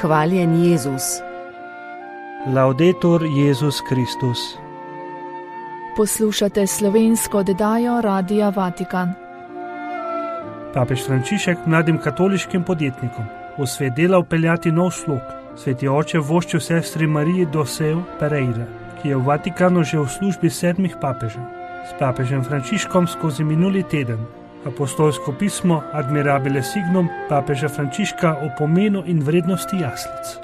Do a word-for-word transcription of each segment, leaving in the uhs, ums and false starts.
Hvaljen Jezus. Laudetur Jezus Kristus. Poslušate slovensko oddajo Radia Vatikan. Papež Frančišek mladim katoliškim podjetnikom v svet dela vpeljati nov slog. Sveti oče voščil sestri Mariji Doseu Pereira, ki je v Vatikanu že v službi sedmih papežev. S papežem Frančiškom skozi minuli teden apostolsko pismo Admirabile Signum papeža Frančiška o pomenu in vrednosti jaslic.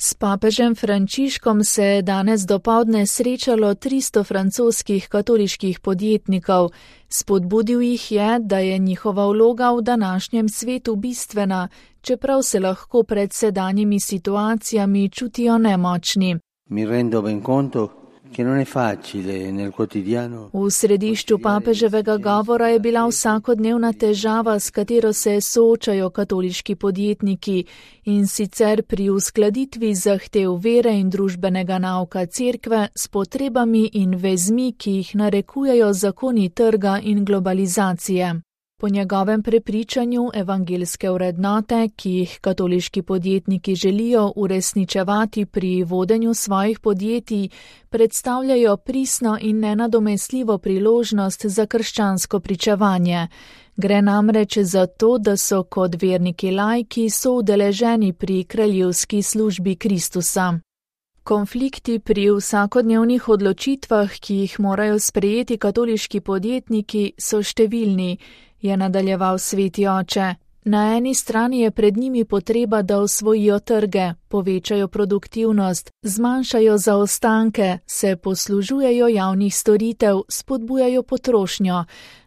S papežem Frančiškom se je danes dopoldne srečalo tristo francoskih katoliških podjetnikov. Spodbudil jih je, da je njihova vloga v današnjem svetu bistvena, čeprav se lahko pred sedanjimi situacijami čutijo nemočni. Mi rendo ben conto che non è facile nel quotidiano. V središču papeževega govora je bila vsakodnevna težava, s katero se soočajo katoliški podjetniki, in sicer pri uskladitvi zahtev vere in družbenega nauka cerkve s potrebami in vezmi, ki jih narekujejo zakoni trga in globalizacije. Po njegovem prepričanju evangelske vrednote, ki jih katoliški podjetniki želijo uresničevati pri vodenju svojih podjetij, predstavljajo pristno in nenadomestljivo priložnost za krščansko pričevanje. Gre namreč za to, da so kot verniki laiki soudeleženi pri kraljevski službi Kristusa. Konflikti pri vsakodnevnih odločitvah, ki jih morajo sprejeti katoliški podjetniki, so številni, je nadaljeval sveti oče. Na eni strani je pred njimi potreba, da osvojijo trge, povečajo produktivnost, zmanjšajo zaostanke, se poslužujejo javnih storitev, spodbujajo potrošnjo.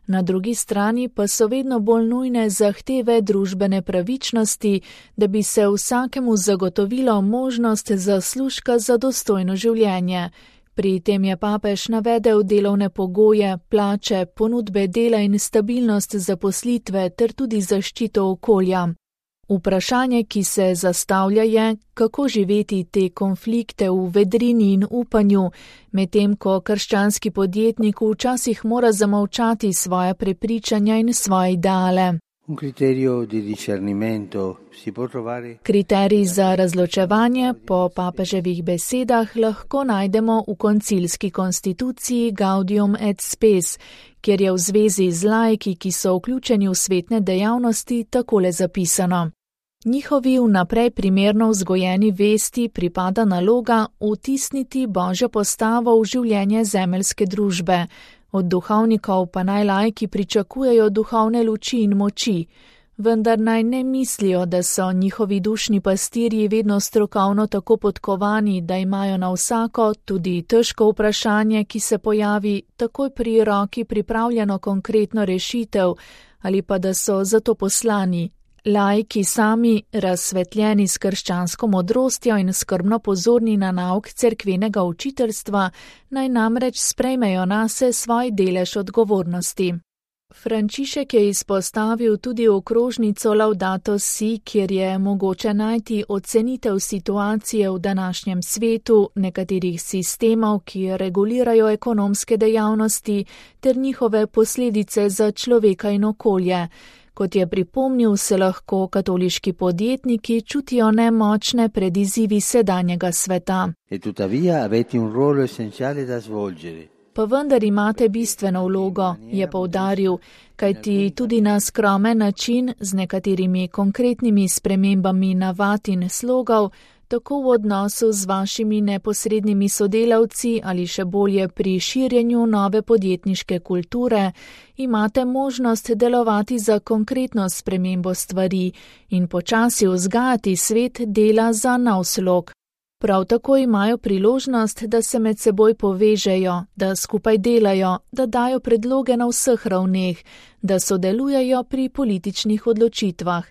Na drugi strani pa so vedno bolj nujne zahteve družbene pravičnosti, da bi se vsakemu zagotovilo možnost zaslužka za dostojno življenje. Pri tem je papež navedel delovne pogoje, plače, ponudbe dela in stabilnost zaposlitve ter tudi zaščito okolja. Vprašanje, ki se zastavlja, je, kako živeti te konflikte v vedrini in upanju, medtem ko krščanski podjetnik včasih mora zamolčati svoje prepričanja in svoje ideale. Kriterij za razločevanje po papeževih besedah lahko najdemo v koncilski konstituciji Gaudium et Spes, kjer je v zvezi z laiki, ki so vključeni v svetne dejavnosti, takole zapisano. Njihovi vnaprej primerno vzgojeni vesti pripada naloga vtisniti Božjo postavo v življenje zemeljske družbe. Od duhovnikov pa naj laiki pričakujejo duhovne luči in moči, vendar naj ne mislijo, da so njihovi dušni pastirji vedno strokovno tako podkovani, da imajo na vsako, tudi težko vprašanje, ki se pojavi, takoj pri roki pripravljeno konkretno rešitev, ali pa da so zato poslani. Laiki sami, razsvetljeni s krščansko modrostjo in skrbno pozorni na nauk cerkvenega učiteljstva, naj namreč sprejmejo nase svoj delež odgovornosti. Frančišek je izpostavil tudi okrožnico Laudato Si, kjer je mogoče najti ocenitev situacije v današnjem svetu, nekaterih sistemov, ki regulirajo ekonomske dejavnosti, ter njihove posledice za človeka in okolje. Kot je pripomnil, se lahko katoliški podjetniki čutijo nemočne pred izzivi sedanjega sveta. Pa vendar imate bistveno vlogo, je poudaril, kajti tudi na skromen način, z nekaterimi konkretnimi spremembami navad in slogov, tako v odnosu z vašimi neposrednimi sodelavci ali še bolje pri širjenju nove podjetniške kulture, imate možnost delovati za konkretno spremembo stvari in počasi vzgajati svet dela za nov slog. Prav tako imajo priložnost, da se med seboj povežejo, da skupaj delajo, da dajo predloge na vseh ravneh, da sodelujejo pri političnih odločitvah.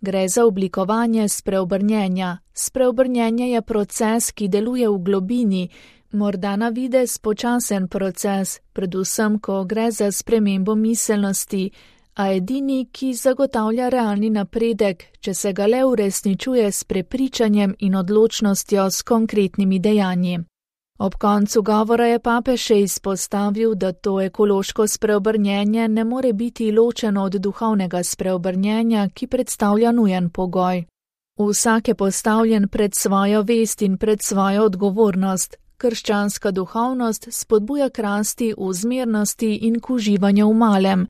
Gre za oblikovanje spreobrnjenja. Spreobrnjenje je proces, ki deluje v globini, morda na videz počasen proces, predvsem, ko gre za spremembo miselnosti, a edini, ki zagotavlja realni napredek, če se ga le uresničuje s prepričanjem in odločnostjo s konkretnimi dejanji. Ob koncu govora je papež še izpostavil, da to ekološko spreobrnjenje ne more biti ločeno od duhovnega spreobrnjenja, ki predstavlja nujen pogoj. Vsak je postavljen pred svojo vest in pred svojo odgovornost. Krščanska duhovnost spodbuja k rasti v zmernosti in k uživanju v malem.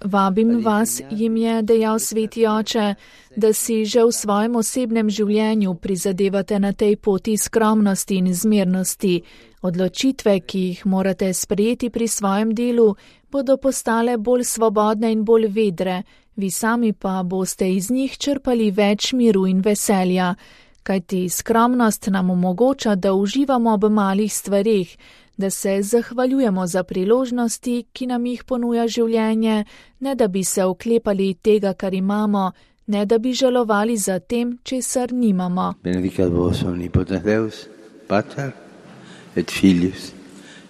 Vabim vas, jim je dejal Sveti Oče, da si že v svojem osebnem življenju prizadevate na tej poti skromnosti in zmernosti. Odločitve, ki jih morate sprejeti pri svojem delu, bodo postale bolj svobodne in bolj vedre, vi sami pa boste iz njih črpali več miru in veselja, kajti skromnost nam omogoča, da uživamo ob malih stvareh, da se zahvaljujemo za priložnosti, ki nam jih ponuja življenje, ne da bi se oklepali tega, kar imamo, ne da bi žalovali za tem, česar nimamo. Benedicat vos omnipotens Deus, Pater et Filius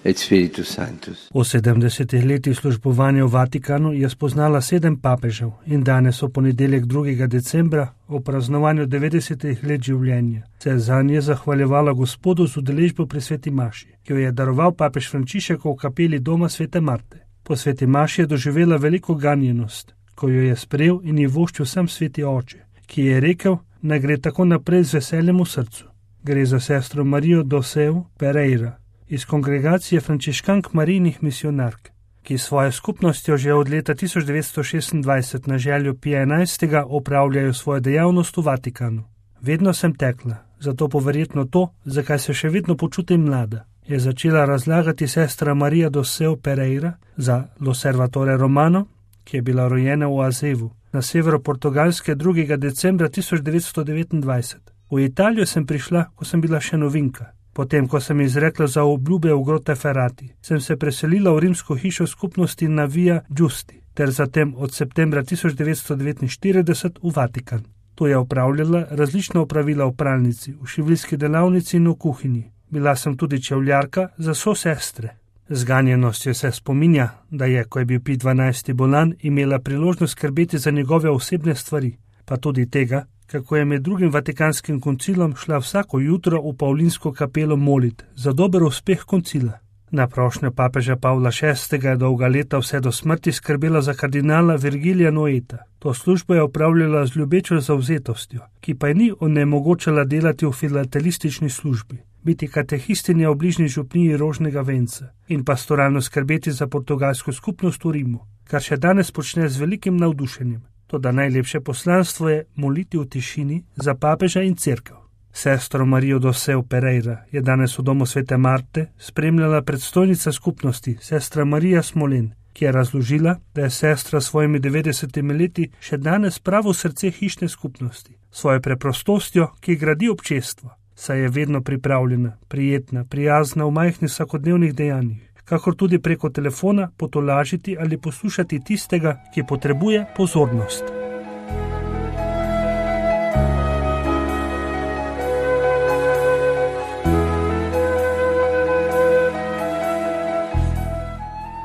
et Spiritus Sanctus. V sedemdesetih letih službovanja v Vatikanu je spoznala sedem papežev in danes v ponedeljek drugega decembra o praznovanju devetdesetih let življenja se zanje zahvaljevala Gospodu z udeležbo pri sveti maši, ki jo je daroval papež Frančišek v kapeli doma svete Marte. Po sveti maši je doživela veliko ganjenost, ko jo je sprejel in ji voščil sam Sveti Oče, ki je rekel, naj gre tako naprej z veseljem v srcu. Gre za sestro Marijo Doseu Pereira iz kongregacije frančiškank Marijinih misionark, ki svojo skupnostjo že od leta tisoč devetsto šestindvajset na željo Pija enajstega opravljajo svojo dejavnost v Vatikanu. Vedno sem tekla, zato poverjetno to, zakaj se še vedno počutim mlada, je začela razlagati sestra Marija Doseu Pereira za L'Osservatore Romano, ki je bila rojena v Azevu, na severu Portugalske drugega decembra tisoč devetsto devetindvajset. V Italijo sem prišla, ko sem bila še novinka. Potem, ko sem izrekla za obljube v Grottaferrati, sem se preselila v rimsko hišo skupnosti na Via Giusti, ter zatem od septembra tisoč devetsto devetinštirideset v Vatikan. Tu je opravljala različna opravila v pralnici, v šiviljski delavnici in v kuhinji. Bila sem tudi čevljarka za sosestre. Z ganjenostjo se spominja, da je, ko je bil Pij dvanajsti bolan, imela priložnost skrbeti za njegove osebne stvari, pa tudi tega, kako je med drugim Vatikanskim koncilom šla vsako jutro v Pavlinsko kapelo molit za dober uspeh koncila. Na prošnjo papeža Pavla šestega je dolga leta vse do smrti skrbela za kardinala Virgilija Noeta. To službo je opravljala z ljubečo zavzetostjo, ki pa je ni onemogočala delati v filatelistični službi, biti katehistinja v bližnji župniji Rožnega venca in pastoralno skrbeti za portugalsko skupnost v Rimu, kar še danes počne z velikim navdušenjem. Toda najlepše poslanstvo je moliti v tišini za papeža in cerkev. Sestro Marijo Doseu Pereira je danes v domu svete Marte spremljala predstojnica skupnosti, sestra Marija Smolen, ki je razložila, da je sestra s svojimi devetdesetimi leti še danes pravo srce hišne skupnosti, svojo preprostostjo, ki gradi občestvo, saj je vedno pripravljena, prijetna, prijazna v majhnih vsakodnevnih dejanjih, kakor tudi preko telefona potolažiti ali poslušati tistega, ki potrebuje pozornost.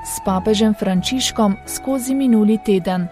S papežem Frančiškom skozi minuli teden.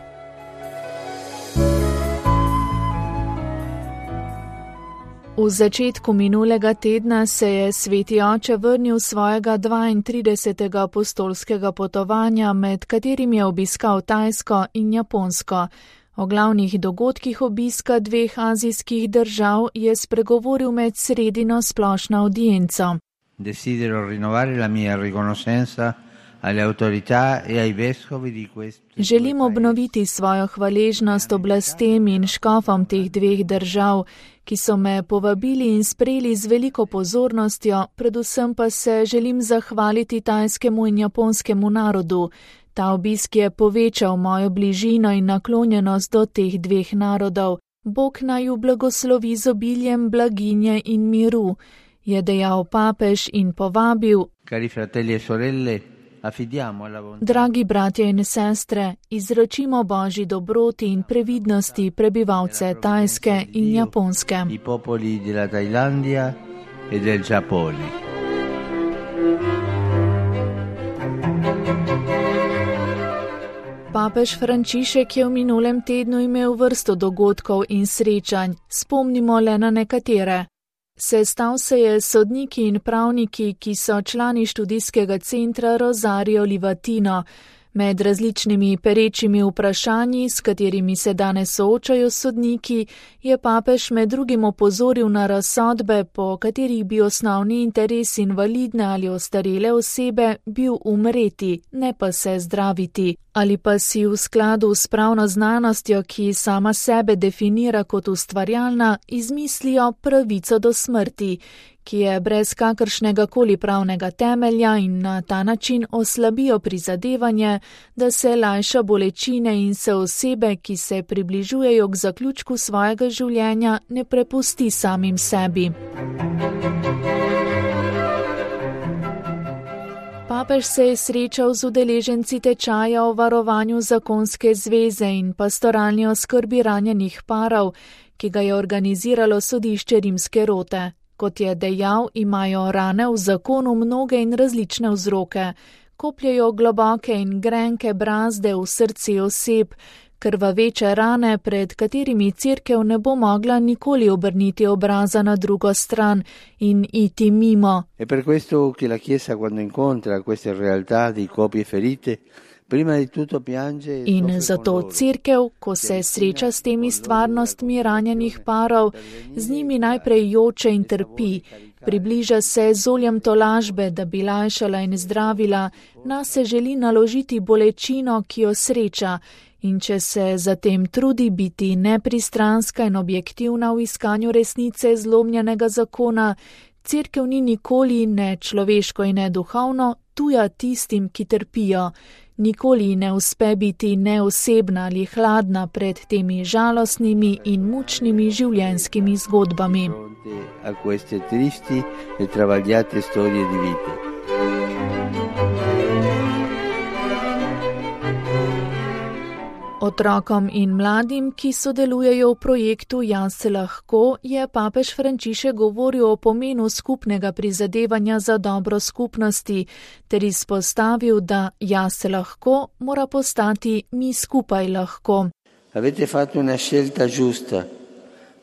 V začetku minulega tedna se je Sveti Oče vrnil svojega dvaintridesetega apostolskega potovanja, med katerim je obiskal Tajsko in Japonsko. O glavnih dogodkih obiska dveh azijskih držav je spregovoril med sredino splošno audienco. Desidero rinnovare la mia riconoscenza alle autorità e ai vescovi di questo. Želim obnoviti svojo hvaležnost oblastem in škofom teh dveh držav, ki so me povabili in sprejeli z veliko pozornostjo, predvsem pa se želim zahvaliti tajskemu in japonskemu narodu. Ta obisk je povečal mojo bližino in naklonjenost do teh dveh narodov. Bog naj ju blagoslovi z obiljem blaginje in miru, je dejal papež in povabil: Cari fratelli e sorelle, dragi bratje in sestre, izročimo Božji dobroti in previdnosti prebivalce Tajske in Japonske. I popoli della Thailandia e del Giappone. Papež Frančišek je v minulem tednu imel vrsto dogodkov in srečanj, spomnimo le na nekatere. Sestal se je s sodniki in pravniki, ki so člani študijskega centra Rosario Livatino, Med različnimi perečimi vprašanji, s katerimi se danes soočajo sodniki, je papež med drugim opozoril na razsodbe, po katerih bi osnovni interes invalidne ali ostarele osebe bil umreti, ne pa se zdraviti, ali pa si v skladu s pravno znanostjo, ki sama sebe definira kot ustvarjalna, izmislijo pravico do smrti, ki je brez kakršnega koli pravnega temelja in na ta način oslabijo prizadevanje, da se lajša bolečine in se osebe, ki se približujejo k zaključku svojega življenja, ne prepusti samim sebi. Papež se je srečal z udeleženci tečaja o varovanju zakonske zveze in pastoralni oskrbi ranjenih parov, ki ga je organiziralo sodišče Rimske Rote. Kot je dejal, imajo rane v zakonu mnoge in različne vzroke. Kopljejo globoke in grenke brazde v srce oseb, krvaveče rane, pred katerimi cerkev ne bo mogla nikoli obrniti obraza na drugo stran in iti mimo. E per questo che la Chiesa quando incontra queste realtà di copie ferite, In zato cerkev, ko se sreča s temi stvarnostmi ranjenih parov, z njimi najprej joče in trpi, približa se z oljem tolažbe, da bi lajšala in zdravila, nas se želi naložiti bolečino, ki jo sreča, in če se zatem trudi biti nepristranska in objektivna v iskanju resnice zlomljenega zakona, cerkev ni nikoli ne človeško in ne duhovno tuja tistim, ki trpijo. Nikoli ne uspe biti neosebna ali hladna pred temi žalostnimi in mučnimi življenjskimi zgodbami. A queste tristi e travagliate storie di vita. Otrokom in mladim, ki sodelujejo v projektu Jaz se lahko, je papež Frančišek govoril o pomenu skupnega prizadevanja za dobro skupnosti, ter izpostavil, da Jaz se lahko mora postati mi skupaj lahko. Avete fatto una scelta giusta.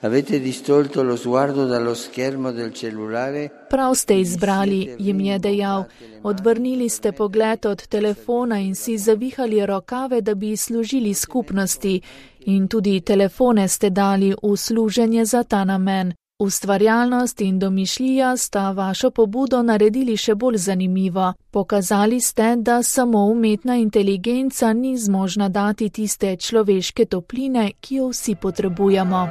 Avete distolto lo sguardo dallo schermo del cellulare. Prav ste izbrali, jim je dejal. Odvrnili ste pogled od telefona in si zavihali rokave, da bi služili skupnosti. In tudi telefone ste dali v služenje za ta namen. Ustvarjalnost in domišljija sta vašo pobudo naredili še bolj zanimivo. Pokazali ste, da samo umetna inteligenca ni zmožna dati tiste človeške topline, ki jo vsi potrebujemo.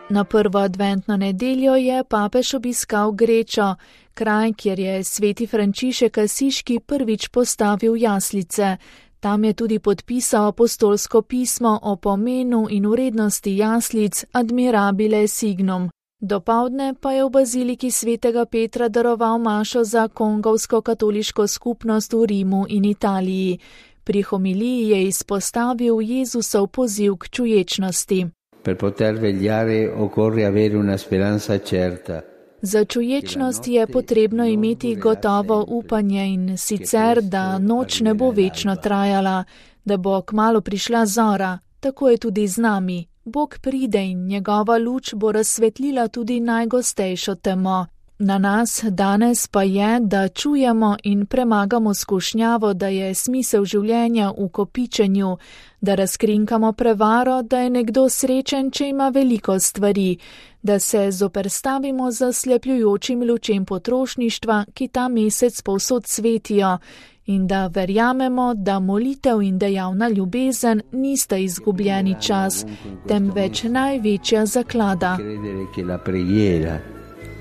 Na prvo adventno nedeljo je papež obiskal Grečo, kraj, kjer je sveti Frančišek Asiški prvič postavil jaslice. Tam je tudi podpisal apostolsko pismo o pomenu in vrednosti jaslic Admirabile Signum. Dopoldne pa je v baziliki svetega Petra daroval mašo za kongovsko katoliško skupnost v Rimu in Italiji. Pri homiliji je izpostavil Jezusov poziv k čuječnosti. Per poter vegliare occorre avere una speranza certa. Za čuječnost je potrebno imeti gotovo upanje in sicer, da noč ne bo večno trajala, da bo kmalu prišla zora, tako je tudi z nami. Bog pride in njegova luč bo razsvetlila tudi najgostejšo temo. Na nas danes pa je, da čujemo in premagamo skušnjavo, da je smisel življenja v kopičenju, da razkrinkamo prevaro, da je nekdo srečen, če ima veliko stvari, da se zoperstavimo zaslepljujočim lučem potrošništva, ki ta mesec povsod svetijo, in da verjamemo, da molitev in dejavna ljubezen nista izgubljeni čas, temveč največja zaklada.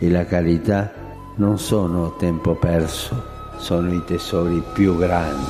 E la carità non sono tempo perso, sono i tesori più grandi.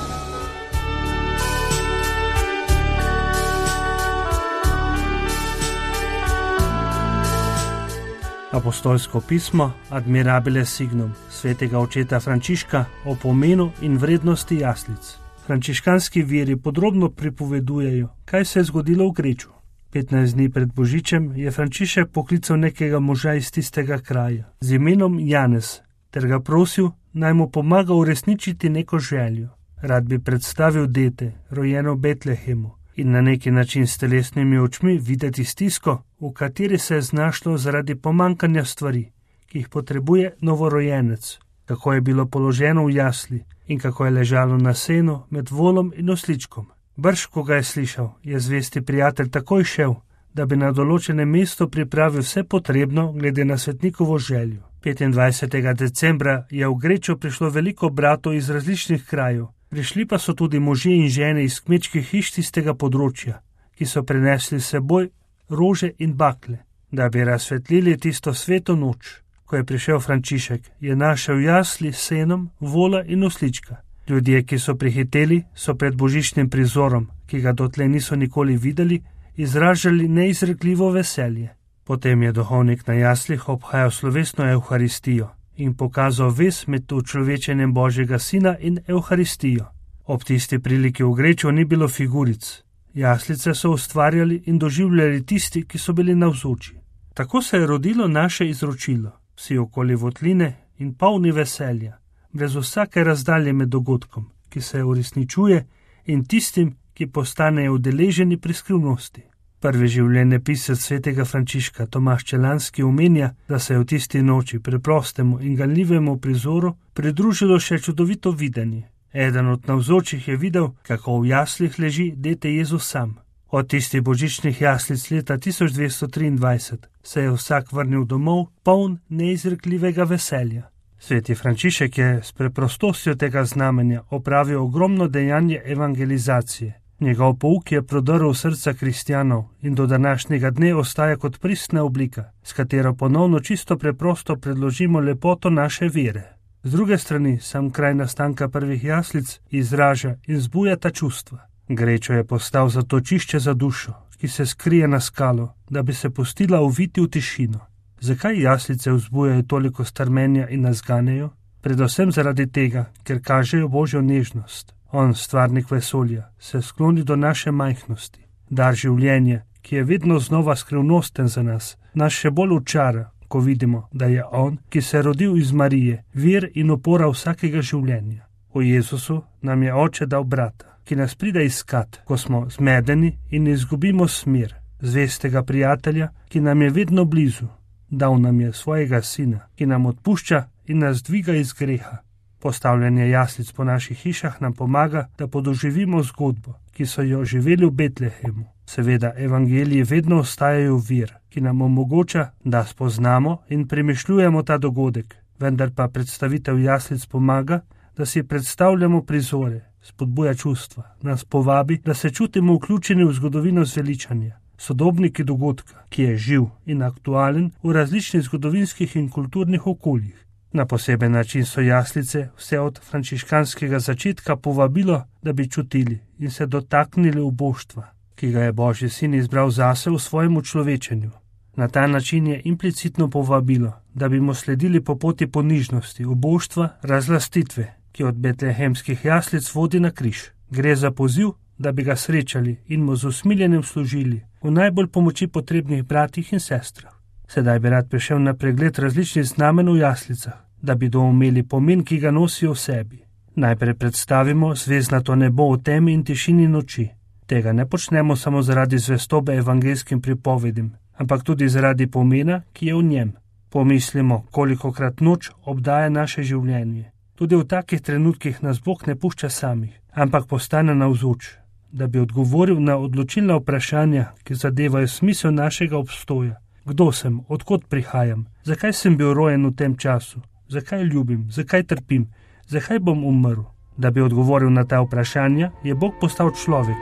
Apostolsko pismo Admirabile Signum svetega očeta Frančiška o pomenu in vrednosti jaslic. Frančiškanski viri podrobno pripovedujejo, kaj se je zgodilo v Greču. petnajst dni pred Božičem je Frančišek poklical nekega moža iz tistega kraja z imenom Janez ter ga prosil, naj mu pomaga uresničiti neko željo. Rad bi predstavil dete, rojeno v Betlehemu, in na neki način s telesnimi očmi videti stisko, v kateri se je znašlo zaradi pomankanja stvari, ki jih potrebuje novorojenec. kako je bilo položeno v jasli in kako je ležalo na senu med volom in osličkom. Brž, ko ga je slišal, je zvesti prijatelj takoj šel, da bi na določenem mestu pripravil vse potrebno glede na svetnikovo željo. petindvajsetega decembra je v Grečo prišlo veliko bratov iz različnih krajev. Prišli pa so tudi možje in žene iz kmečkih hiš tistega področja, ki so prinesli s seboj rože in bakle, da bi razsvetlili tisto sveto noč. Ko je prišel Frančišek, je našel jasli s senom, vola in oslička. Ljudje, ki so prihiteli, so pred božičnim prizorom, ki ga dotlej niso nikoli videli, izražali neizrekljivo veselje. Potem je duhovnik na jaslih obhajal slovesno evharistijo in pokazal vez med učlovečenjem Božjega sina in evharistijo. Ob tisti priliki v Grečo ni bilo figuric. Jaslice so ustvarjali in doživljali tisti, ki so bili navzoči. Tako se je rodilo naše izročilo, vsi okoli votline in polni veselja, brez vsake razdalje med dogodkom, ki se uresničuje, in tistim, ki postanejo udeleženi pri skrivnosti. Prvi življenjepisec svetega Frančiška Tomaž Čelanski omenja, da se je v tisti noči preprostemu in ganljivemu prizoru pridružilo še čudovito videnje. Eden od navzočih je videl, kako v jaslih leži dete Jezus sam. Od tistih božičnih jaslic leta tisoč dvesto triindvajset se je vsak vrnil domov, poln neizrekljivega veselja. Sveti Frančišek je s preprostostjo tega znamenja opravil ogromno dejanje evangelizacije. Njegov pouk je prodrl srca kristjanov in do današnjega dne ostaja kot pristna oblika, s katero ponovno čisto preprosto predložimo lepoto naše vere. Z druge strani sam kraj nastanka prvih jaslic izraža in zbuja ta čustva. Grečo je postal zatočišče za dušo, ki se skrije na skalo, da bi se pustila uviti v tišino. Zakaj jaslice vzbujajo toliko strmenja in nas ganejo? Predvsem zaradi tega, ker kažejo Božjo nežnost. On, stvarnik vesolja, se skloni do naše majhnosti. Dar življenja, ki je vedno znova skrivnosten za nas, nas še bolj učara, ko vidimo, da je on, ki se je rodil iz Marije, vir in opora vsakega življenja. V Jezusu nam je Oče dal brata, ki nas pride iskat, ko smo zmedeni in izgubimo smer, zvestega prijatelja, ki nam je vedno blizu. Dal nam je svojega sina, ki nam odpušča in nas dviga iz greha. Postavljanje jaslic po naših hišah nam pomaga, da podoživimo zgodbo, ki so jo živeli v Betlehemu. Seveda, evangeliji vedno ostajajo vir, ki nam omogoča, da spoznamo in premišljujemo ta dogodek, vendar pa predstavitev jaslic pomaga, da si predstavljamo prizore, spodbuja čustva, nas povabi, da se čutimo vključeni v zgodovino zveličanja, sodobniki dogodka, ki je živ in aktualen v različnih zgodovinskih in kulturnih okoljih. Na poseben način so jaslice vse od frančiškanskega začetka povabilo, da bi čutili in se dotaknili uboštva, ki ga je Božji sin izbral zase v svojem učlovečenju. Na ta način je implicitno povabilo, da bi mu sledili po poti ponižnosti, uboštva, razlastitve, ki od betlehemskih jaslic vodi na križ. Gre za poziv, da bi ga srečali in mu z usmiljenjem služili v najbolj pomoči potrebnih bratih in sestrah. Sedaj bi rad prišel na pregled različnih znamen v jaslicah, da bi doumeli pomen, ki ga nosijo v sebi. Najprej predstavimo zvezdnato nebo v temi in tišini noči. Tega ne počnemo samo zaradi zvestobe evangelskim pripovedim, ampak tudi zaradi pomena, ki je v njem. Pomislimo, kolikokrat noč obdaja naše življenje. Tudi v takih trenutkih nas Bog ne pušča samih, ampak postane navzoč, da bi odgovoril na odločilna vprašanja, ki zadevajo smisel našega obstoja. Kdo sem, odkot prihajam, zakaj sem bil rojen v tem času, zakaj ljubim, zakaj trpim, zakaj bom umrl. Da bi odgovoril na ta vprašanja, je Bog postal človek.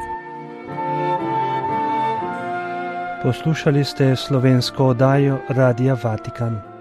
Poslušali ste slovensko oddajo Radia Vatikan.